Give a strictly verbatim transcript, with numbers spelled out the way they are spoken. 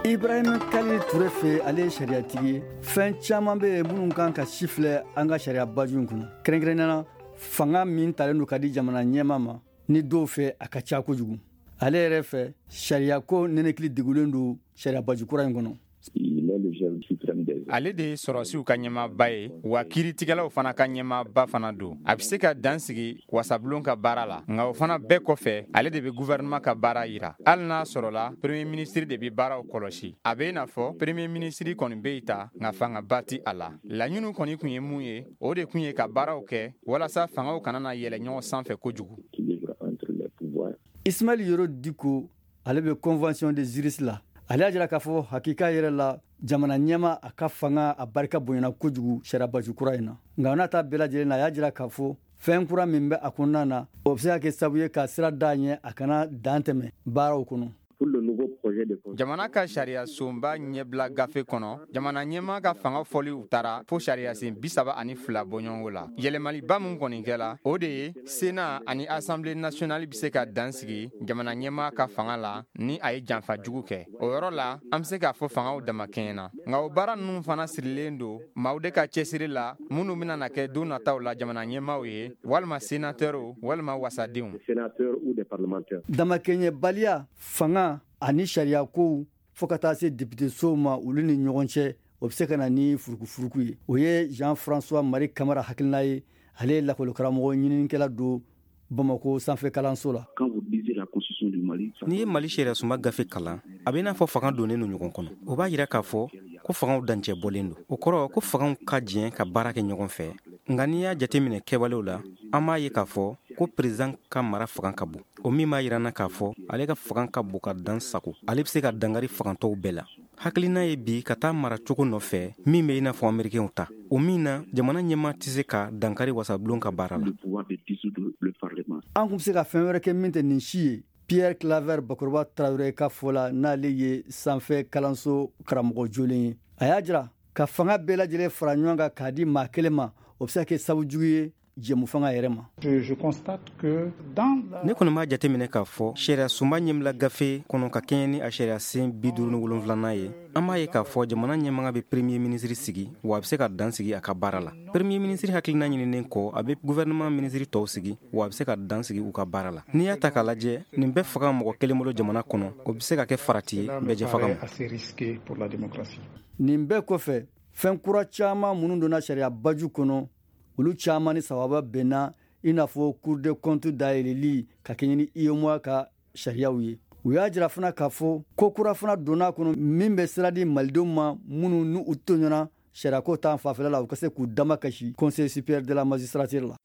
Ibrahim Khalil Touré fɛ, ale ye sariyatigi ye. Fɛn caman bɛ yen minnu kan ka si filɛ an ka sariya baju in kɔnɔ, kɛrɛnkɛrɛnnenya la fanga min talen don ka di jamana ɲɛmaa ma, ni dɔw fɛ a ka ca kojugu. Ale yɛrɛ fɛ, sariyako nɛnɛkili degulen don sariya baju kura in kɔnɔ. Ale de ye sɔrɔsiw ka ɲɛmaaba ye, wa kiiritigɛlaw fana ka ɲɛmaaba fana don. A bɛ se ka dan sigi wasabulon ka baara la, nka o fana bɛɛ kɔfɛ, ale de bɛ gouvernement ka baara yira. Hali n'a sɔrɔla premier ministre de bɛ baaraw kɔlɔsi, a bɛ i n'a fɔ premier ministre kɔni bɛ yen ta, nka fangaba tɛ a la. Laɲiniw kɔni tun ye mun ye, o de tun ye ka baaraw kɛ walasa fangaw kana na yɛlɛ ɲɔgɔn sanfɛ kojugu. Ismaël Yoro Diko, ale bɛ Convention des juristes la. Ale y'a jira k'a fɔ hakika yɛrɛ la, jamana ɲɛma a ka fanga a barika bonyana kojugu sariyabaju kura in na. Nka n'a ta bɛɛ lajɛlen na, a y'a jira k'a fɔ fɛn kura min bɛ a kɔnɔna na, o bɛ se ka kɛ sababu ye ka sira d'a ɲɛ a kana dan tɛmɛ baaraw kɔnɔ. Jamana ka sariya sunba ɲɛbila gafe kɔnɔ, jamana ɲɛmaa ka fanga fɔliw taara fo sariyasen bi saba ani fila bɔɲɔgɔnko la. Yɛlɛmaliba min kɔni kɛla, o de ye Sénat ani Assemblée nationale bɛ se ka dan sigi jamana ɲɛmaa ka fanga la ni a ye janfa jugu kɛ. O yɔrɔ la, an bɛ se k'a fɔ fangaw damakɛɲɛna. Nka o baara ninnu fana sirilen don maaw de ka cɛsiri la, minnu bɛna na kɛ don nataw la jamana ɲɛmaaw ye, walima sénateurs, walima wasadenw. Damakɛɲɛbaliya fanga ani sariya kow fo ka taa se député-sow ma, olu ni ɲɔgɔn cɛ, o bɛ se ka na ni furukufuruku ye. O ye Jean François Marie Kamara hakilina ye. Ale ye lakɔlikaramɔgɔ ɲininikɛla don Bamakɔ sanfɛ kalanso la. N'i ye Mali sariya sunba gafe kalan, a bɛ i n'a fɔ fanga donnen don ɲɔgɔn kɔnɔ. O b'a jira k'a fɔ ko fangaw dancɛ bɔlen don. O kɔrɔ ko fangaw ka jɛ ka baara kɛ ɲɔgɔn fɛ. Nka n'i y'a jateminɛ kɛwalew la, an b'a ye k'a fɔ ko président ka mara fanga ka bon. O min b'a jira n na k'a fɔ ale ka fanga ka bon ka dan sago. Ale bɛ se ka dankari fangantɔw bɛɛ la. Hakilina ye bi ka taa mara cogo nɔfɛ min bɛ i n'a fɔ américains ta, o min na jamana ɲɛmaa tɛ se ka dankari wasabulon ka baara la. An tun bɛ se ka fɛn wɛrɛ kɛ min tɛ nin si ye. Pierre Claver Bakɔrɔba Tarawele ka fɔ la, n'ale ye sanfɛ kalanso karamɔgɔ jolen ye, a y'a jira ka fanga bɛɛ lajɛlen fara ɲɔgɔn kan k'a di maa kelen ma, o bɛ se ka kɛ sababu jugu ye jɛmu fanga yɛrɛ ma. Ne kɔni b'a jateminɛ k'a fɔ sariya sunba ɲɛbila gafe kɔnɔ, ka kɛɲɛ ni a sariya sen bi duuru ni wolonfilanan ye, an b'a ye k'a fɔ jamana ɲɛmaga bɛ premier ministre sigi, wa a bɛ se ka dan sigi a ka baara la. Premier ministre hakilina ɲininen kɔ, a bɛ gouvernement ministre tɔw sigi, wa a bɛ se ka dan sigi u ka baara la. N'i y'a ta k'a lajɛ, nin bɛɛ fanga mɔgɔ kelen bolo jamana kɔnɔ, o bɛ se ka kɛ farati ye bɛɛjɛ fanga ma. Nin bɛɛ kɔfɛ, fɛn kura caman minnu donna sariya baju kɔnɔ, olu caman ni sababa bɛnna, i n'a fɔ Cour des comptes dayɛlɛli ka kɛɲɛ ni UEMOA ka sariyaw ye. U y'a jira fana k'a fɔ ko kura fana donna kɔnɔ min bɛ sira di malidenw ma minnu ni u tɔɲɔna sariyako ta fanfɛla la, u ka se k'u damakasi Conseil supérieur de la magistrature la.